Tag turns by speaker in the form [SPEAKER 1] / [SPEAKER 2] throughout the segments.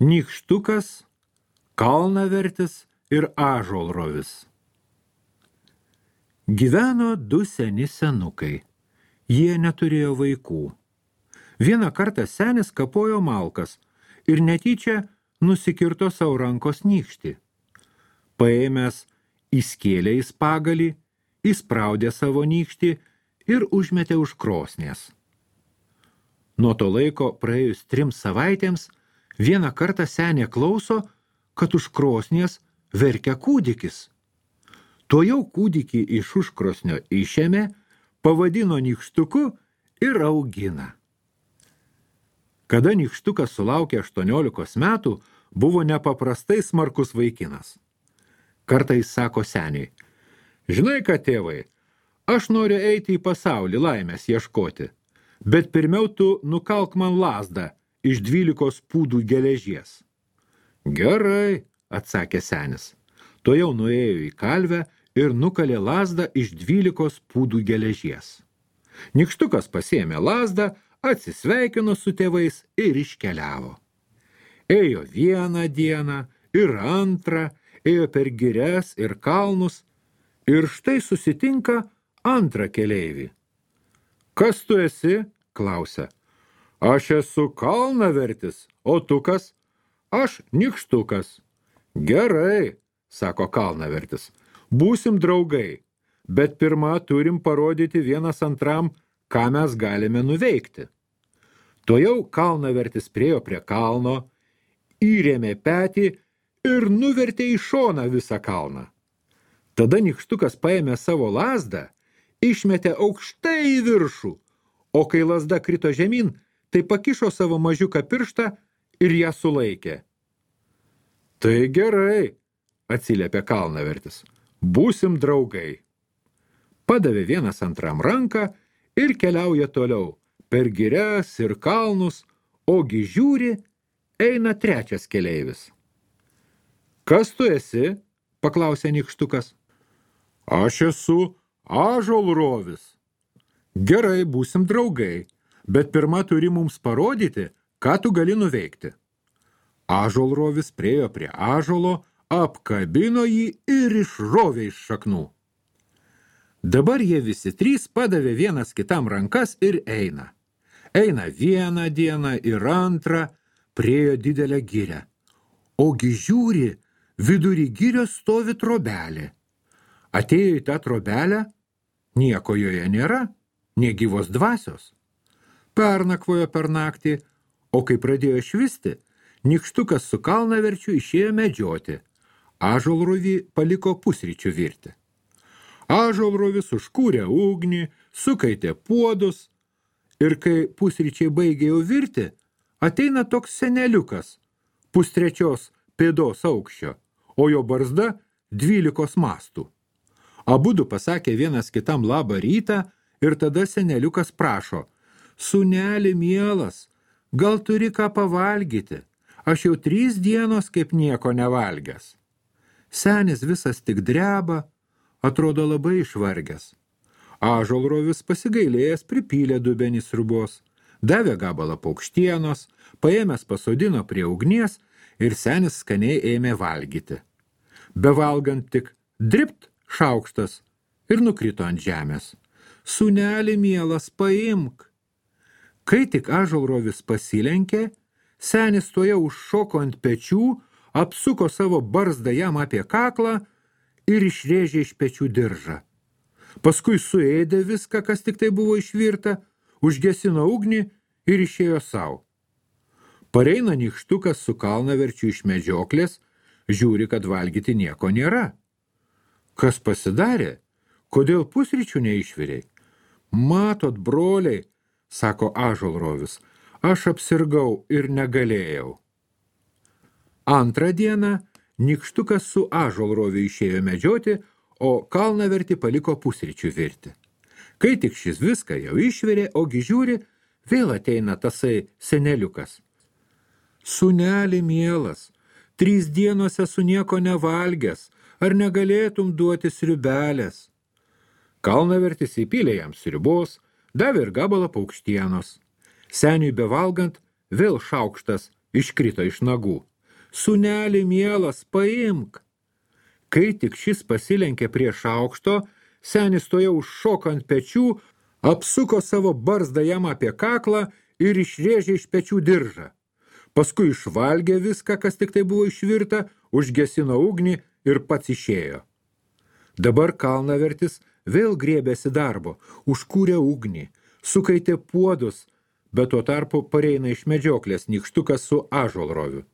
[SPEAKER 1] Nykštukas, kalnavertis ir ąžuolrovis. Gyveno du seni senukai. Jie neturėjo vaikų. Vieną kartą senis kapojo malkas ir netyčia nusikirto savo rankos nykštį. Paėmęs įskėlė į spagalį, įspraudė savo nykštį ir užmetė už krosnies. Nuo to laiko praėjus 3 savaitėms, vieną kartą senė klauso, kad už krosnies verkia kūdikis. Tuojau kūdikį iš užkrosnio išėmė, pavadino nykštuku ir augina. Kada nykštukas sulaukė 18 metų, buvo nepaprastai smarkus vaikinas. Kartais sako seniai: žinai ką, tėvai, aš noriu eiti į pasaulį laimės ieškoti, bet pirmiau tu nukalk man lazdą iš 12 pūdų geležies. Gerai, atsakė senis. Tuojau nuėjo į kalvę ir nukalė lazdą iš 12 pūdų geležies. Nykštukas pasiėmė lazdą, atsisveikino su tėvais ir iškeliavo. Ėjo vieną dieną ir antrą, ėjo per girias ir kalnus, ir štai susitinka antrą keleivį. Kas tu esi? Klausia. Aš esu kalnavertis, o tu kas? Aš nykštukas. Gerai, sako kalnavertis, būsim draugai, bet pirma turim parodyti vienas antram, ką mes galime nuveikti. Tuojau kalnavertis priėjo prie kalno, įrėmė petį ir nuvertė į šoną visą kalną. Tada nykštukas paėmė savo lazdą, išmetė aukštai į viršų, o kai lazda krito žemyn, tai pakišo savo mažiuką pirštą ir ją sulaikė. Tai gerai, atsiliepė kalnavertis, būsim draugai. Padavė vienas antram ranką ir keliauja toliau, per girias ir kalnus, ogi žiūri, eina trečias keleivis. Kas tu esi? Paklausė nykštukas. Aš esu ąžuolrovis. Gerai, būsim draugai, bet pirma turi mums parodyti, ką tu gali nuveikti. Ąžuolrovis priėjo prie ąžuolo, apkabino jį ir išrovė iš šaknų. Dabar jie visi 3 padavė vienas kitam rankas ir eina. Eina vieną dieną ir antrą, priėjo didelę girią. Ogi žiūri, vidury girios stovi trobelė. Atėjo į tą trobelę, nieko joje nėra, nė gyvos dvasios. Pernakvojo per naktį, o kai pradėjo švisti, nykštukas su kalnaverčiu išėjo medžioti. Ąžuolrovį paliko pusryčių virti. Ąžuolrovis užkūrė ugnį, sukaitė puodus ir kai pusryčiai baigė jau virti, ateina toks seneliukas, 2/3 pėdos aukščio, o jo barzda 12 mastų. Abudu pasakė vienas kitam labą rytą ir tada seneliukas prašo: Sūneli mielas, gal turi ką pavalgyti? Aš jau 3 dienos kaip nieko nevalgęs. Senis visas tik dreba, atrodo labai išvargęs. Ąžuolrovis pasigailėjęs pripylė dubenį sriubos, davė gabalą paukštienos, paėmęs pasodino prie ugnies ir senis skaniai ėmė valgyti. Bevalgant tik dript šaukštas ir nukrito ant žemės. Sūneli mielas, paimk. Kai tik ąžuolrovis pasilenkė, senis tuojau užšoko ant pečių, apsuko savo barzdą jam apie kaklą ir išrėžė iš pečių diržą. Paskui suėdė viską, kas tik tai buvo išvirta, užgesino ugnį ir išėjo savo. Pareina nykštukas su kalnaverčiu iš medžioklės, žiūri, kad valgyti nieko nėra. Kas pasidarė? Kodėl pusryčių neišvirei? Matot, broliai, sako ąžuolrovis, aš apsirgau ir negalėjau. Antrą dieną nykštukas su ąžuolroviu išėjo medžioti, o kalnavertį paliko pusryčių virti. Kai tik šis viską jau išvirė, ogi žiūri, vėl ateina tasai seneliukas. Sūneli mielas, 3 dienos esu nieko nevalgęs, ar negalėtum duoti sriubelės? Kalnavertis įpylė jam sriubos, davė ir gabalą paukštienos. Seniui bevalgant, vėl šaukštas iškrito iš nagų. Sūneli mielas, paimk. Kai tik šis pasilenkė prie šaukšto, senis tojau užšoko ant pečių, apsuko savo barzdą jam apie kaklą ir išrėžė iš pečių diržą. Paskui išvalgė viską, kas tik tai buvo išvirta, užgesino ugnį ir pats išėjo. Dabar kalnavertis vėl griebėsi darbo, užkūrė ugnį, sukaitė puodus, bet tuo tarpu pareina iš medžioklės nykštukas su ąžuolroviu.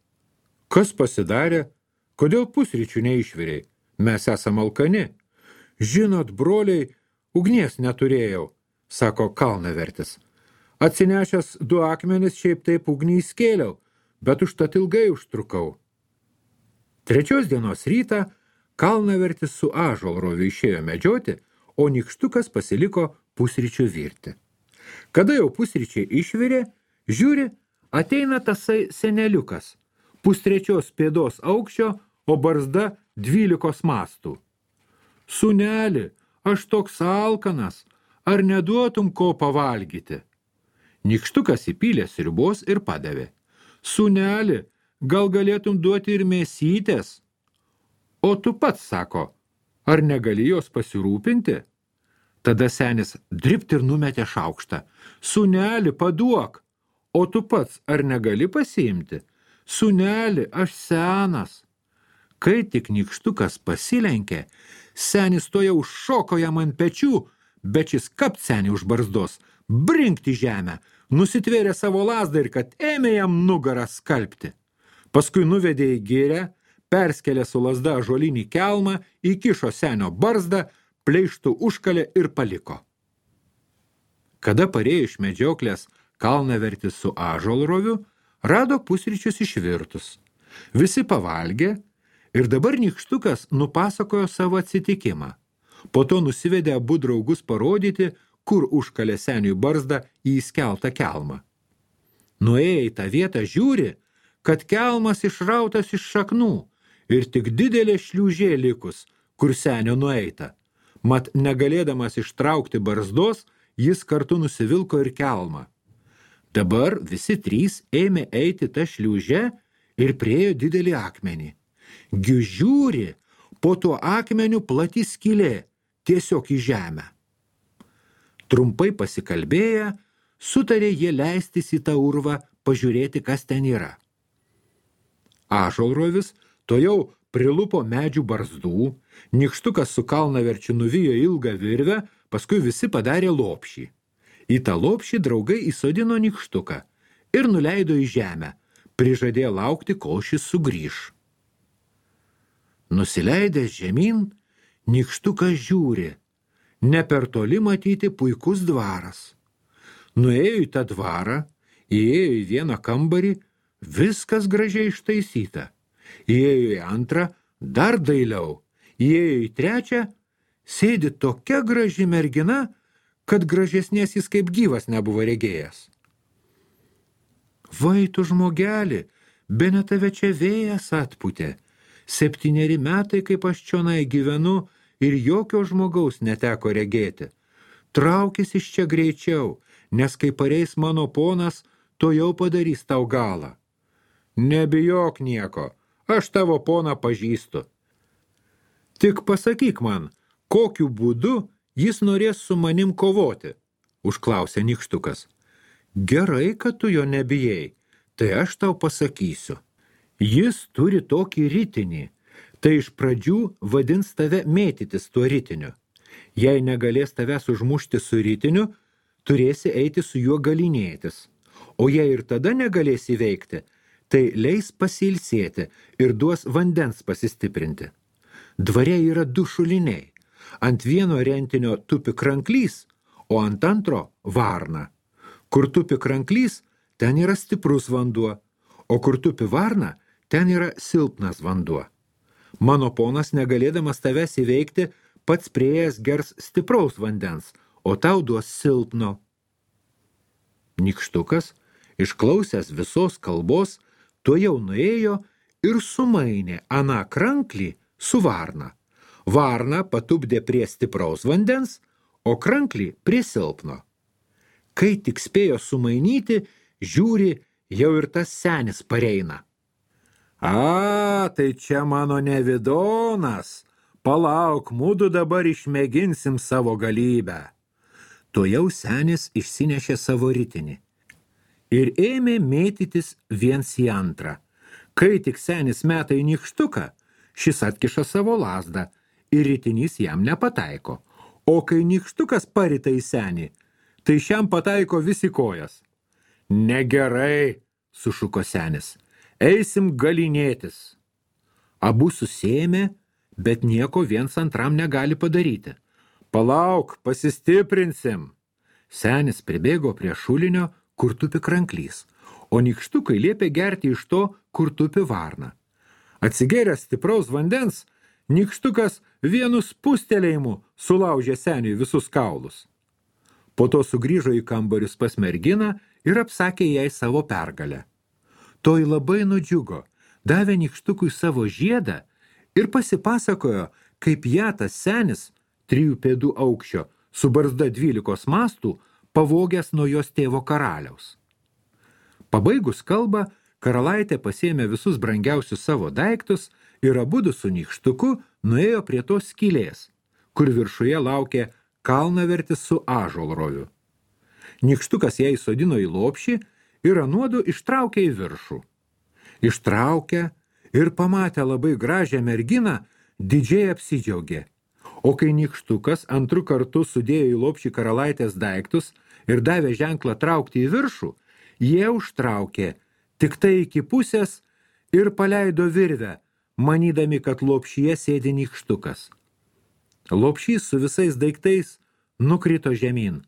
[SPEAKER 1] Kas pasidarė? Kodėl pusryčių neišvirei? Mes esam alkani. Žinot, broliai, ugnies neturėjau, sako kalnavertis. Atsinešęs 2 akmenis šiaip taip ugnį įskėliau, bet užtat ilgai užtrukau. 3 dienos rytą kalnavertis su ąžuolroviu išėjo medžioti, o nykštukas pasiliko pusryčių virti. Kada jau pusryčiai išvirė, žiūri, ateina tasai seneliukas, 2,3 pėdos aukščio, o barzda 12 mastų. Sūneli, aš toks alkanas, ar neduotum ko pavalgyti? Nykštukas įpylė sriubos ir padavė. Sūneli, gal galėtum duoti ir mėsytės? O tu pats, sako, ar negali jos pasirūpinti? Tada senis dribt ir numetė šaukštą. Sūneli, paduok, o tu pats ar negali pasiimti? Sūneli, aš senas. Kai tik nykštukas pasilenkė, senis toja užšoko jam ant pečių, bet šis kapt senį už barzdos, brinkti žemę, nusitvėrė savo lazdą ir kad ėmė jam nugarą skalpti. Paskui nuvedė į girią, perskelė su lazda ąžuolinį kelmą, įkišo senio barzdą, pleištų užkalė ir paliko. Kada parėjo iš medžioklės kalnavertis su ąžuolroviu, rado pusryčius išvirtus. Visi pavalgė ir dabar nykštukas nupasakojo savo atsitikimą. Po to nusivedė abu draugus parodyti, kur užkalė seniui barzdą į įskeltą kelmą. Nuėję į tą vietą žiūri, kad kelmas išrautas iš šaknų ir tik didelė šliūžė likus, kur senio nueita. Mat negalėdamas ištraukti barzdos, jis kartu nusivilko ir kelmą. Dabar visi 3 ėmė eiti tą šliūžę ir priėjo didelį akmenį. Žiūri, po tuo akmeniu plati skylė, tiesiog į žemę. Trumpai pasikalbėję, sutarė jie leistis į tą urvą, pažiūrėti, kas ten yra. Ąžuolrovis tojau prilupo medžių barzdų, nykštukas su kalnaverčiu nuvijo ilgą virvę, paskui visi padarė lopšį. Į tą lopšį draugai įsodino nykštuką ir nuleido į žemę, prižadėjo laukti, kol šis sugrįš. Nusileidęs žemyn, nykštukas žiūri, ne per toli matyti puikus dvaras. Nuėjo į tą dvarą, įėjo į vieną kambarį, viskas gražiai ištaisyta. Įėjo į antrą, dar dailiau, įėjo į trečią, sėdi tokia graži mergina, kad gražesnės jis kaip gyvas nebuvo regėjęs. Vai tu žmogelį, bene tave čia vėjas atpūtė. 7 metai, kaip aš čionai gyvenu ir jokio žmogaus neteko regėti. Traukis iš čia greičiau, nes kai pareis mano ponas, to jau padarys tau galą. Nebijok nieko, aš tavo poną pažįstu. Tik pasakyk man, kokiu būdu jis norės su manim kovoti, užklausė nykštukas. Gerai, kad tu jo nebijai, tai aš tau pasakysiu. Jis turi tokį ritinį, tai iš pradžių vadins tave mėtytis tuo ritiniu. Jei negalės tavęs užmušti su ritiniu, turėsi eiti su juo galinėtis. O jei ir tada negalės įveikti, tai leis pasilsėti ir duos vandens pasistiprinti. Dvare yra 2 šuliniai. Ant vieno rentinio tupi kranklys, o ant antro varna. Kur tupi kranklys, ten yra stiprus vanduo, o kur tupi varna, ten yra silpnas vanduo. Mano ponas, negalėdamas tavęs įveikti, pats priėjęs gers stipraus vandens, o tau duos silpno. Nykštukas, išklausęs visos kalbos, tuojau nuėjo ir sumainė aną kranklį su varna. Varna patupdė prie stipraus vandens, o kranklį prie silpno. Kai tik spėjo sumainyti, žiūri, jau ir tas senis pareina. A, tai čia mano nevidonas. Palauk, mudu dabar išmėginsim savo galybę. Tuojau senis išsinešė savo ritinį ir ėmė mėtytis viens į antrą. Kai tik senis meta į nykštuką, šis atkiša savo lazdą ir ritinys jam nepataiko. O kai nykštukas parita į senį, tai šiam pataiko visi kojas. Negerai, sušuko senis, eisim galinėtis. Abu susėmė, bet nieko viens antram negali padaryti. Palauk, pasistiprinsim. Senis pribėgo prie šulinio, kur tupi kranklys, o nykštukai liepė gerti iš to, kur tupi varna. Atsigėręs stipraus vandens, nykštukas vienu spustelėjimu sulaužė seniui visus kaulus. Po to sugrįžo į kambarius pas merginą ir apsakė jai savo pergalę. Toji labai nudžiugo, davė nykštukui savo žiedą ir pasipasakojo, kaip ją tas senis 3 pėdų aukščio su barzda 12 mastų pavogęs nuo jos tėvo karaliaus. Pabaigus kalbą, karalaitė pasiėmė visus brangiausius savo daiktus ir abudu su nykštuku nuėjo prie tos skylės, kur viršuje laukė kalnavertis su ąžuolroviu. Nykštukas ją įsodino į lopšį ir anuodu ištraukė į viršų. Ištraukė ir pamatė labai gražią merginą, didžiai apsidžiaugė. O kai nykštukas antru kartu sudėjo į lopšį karalaitės daiktus ir davė ženklą traukti į viršų, jie užtraukė tik tai iki pusės ir paleido virvę, manydami, kad lopšyje sėdi nykštukas. Lopšys su visais daiktais nukrito žemyn,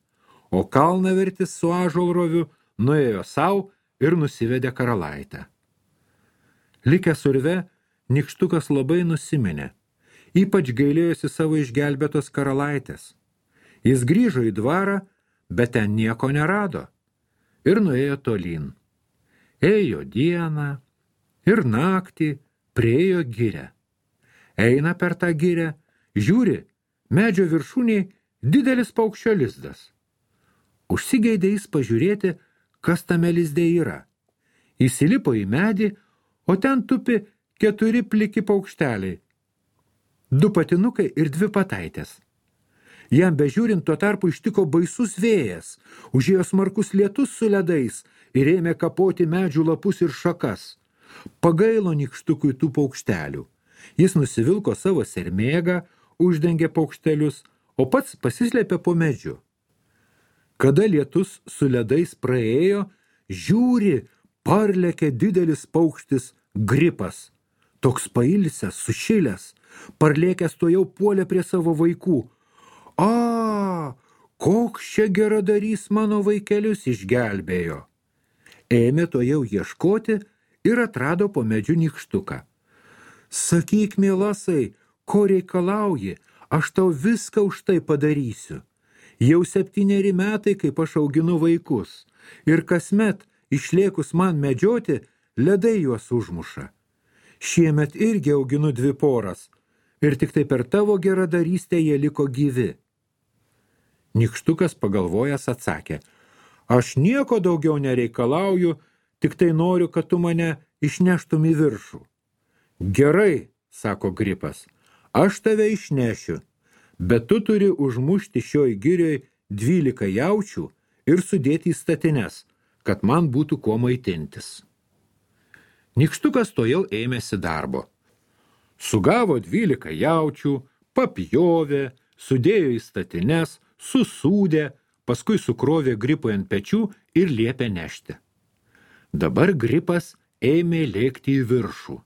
[SPEAKER 1] o kalnavertis su ąžuolroviu nuėjo sau ir nusivedė karalaitę. Likęs urve, nykštukas labai nusiminė, ypač gailėjosi savo išgelbėtos karalaitės. Jis grįžo į dvarą, bet ten nieko nerado ir nuėjo tolyn. Ėjo dieną ir naktį priėjo girią. Eina per tą girią, žiūri, medžio viršūnėj didelis paukščio lizdas. Užsigeidė jis pažiūrėti, kas tame lizde yra. Įsilipo į medį, o ten tupi 4 pliki paukšteliai, 2 patinukai ir 2 pataitės. Jam bežiūrint tuo tarpu ištiko baisus vėjas, užėjo smarkus lietus su ledais ir ėmė kapoti medžių lapus ir šakas. Pagailo nykštukui tų paukštelių. Jis nusivilko savo sermėgą, uždengė paukštelius, o pats pasislėpė po medžiu. Kada lietus su ledais praėjo, žiūri, parlėkė didelis paukštis gripas. Toks pailsęs, sušilęs, parlėkęs to jau puolė prie savo vaikų. A, koks čia geradarys mano vaikelius išgelbėjo. Ėmė to jau ieškoti ir atrado po medžiu nykštuką. Sakyk, mielasai, ko reikalauji, aš tau viską už tai padarysiu. Jau 7 metai, kaip aš auginu vaikus, ir kasmet išlėkus man medžioti, ledai juos užmuša. Šiemet irgi auginu 2 poras, ir tik tai per tavo geradarystę jie liko gyvi. Nykštukas pagalvojęs atsakė, aš nieko daugiau nereikalauju, tik tai noriu, kad tu mane išneštum į viršų. Gerai, sako gripas, aš tave išnešiu, bet tu turi užmušti šioj girioj 12 jaučių ir sudėti į statines, kad man būtų kuo maitintis. Nykštukas to jau ėmėsi darbo. Sugavo 12 jaučių, papjovė, sudėjo į statines, susūdė, paskui sukrovė gripui ant pečių ir liepė nešti. Dabar gripas ėmė lėkti į viršų.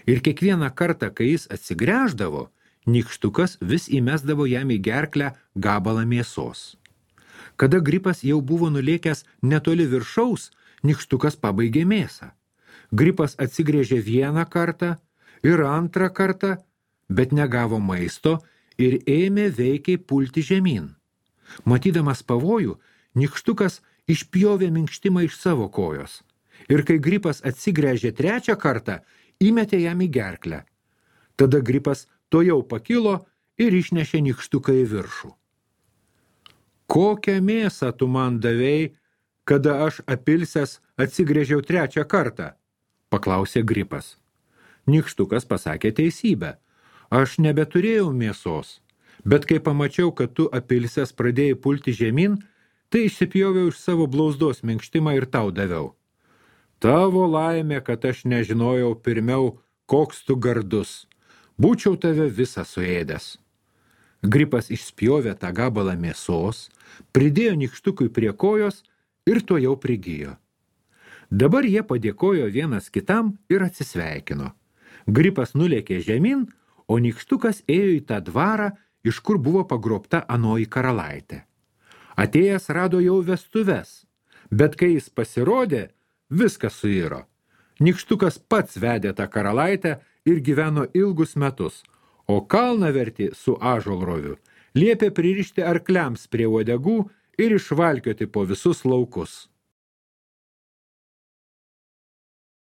[SPEAKER 1] Ir kiekvieną kartą, kai jis atsigręždavo, nykštukas vis įmesdavo jam į gerklę gabalą mėsos. Kada gripas jau buvo nulėkęs netoli viršaus, nykštukas pabaigė mėsą. Gripas atsigrėžė 1 kartą ir 2 kartą, bet negavo maisto ir ėmė veikiai pulti žemyn. Matydamas pavojų, nykštukas išpjovė minkštimą iš savo kojos. Ir kai gripas atsigręžė 3 kartą, įmetė jam į gerklę. Tada gripas tojau pakilo ir išnešė nykštuką į viršų. Kokią mėsą tu man davei, kada aš apilsęs atsigrėžiau 3 kartą? Paklausė Gripas. Nykštukas pasakė teisybę. Aš nebeturėjau mėsos, bet kai pamačiau, kad tu apilsęs pradėjai pulti žemyn, tai išsipjoviau iš savo blauzdos minkštimą ir tau daviau. Tavo laimė, kad aš nežinojau pirmiau, koks tu gardus. Būčiau tave visą suėdęs. Gripas išspjovė tą gabalą mėsos, pridėjo nykštukui prie kojos ir to jau prigijo. Dabar jie padėkojo vienas kitam ir atsisveikino. Gripas nulėkė žemyn, o nykštukas ėjo į tą dvarą, iš kur buvo pagrobta anoji karalaitė. Atėjęs rado jau vestuves, bet kai jis pasirodė, viskas suiro. Nykštukas pats vedė tą karalaitę ir gyveno ilgus metus, o kalnavertį su ąžuolroviu liepė pririšti arkliams prie uodegų ir išvalkioti po visus laukus.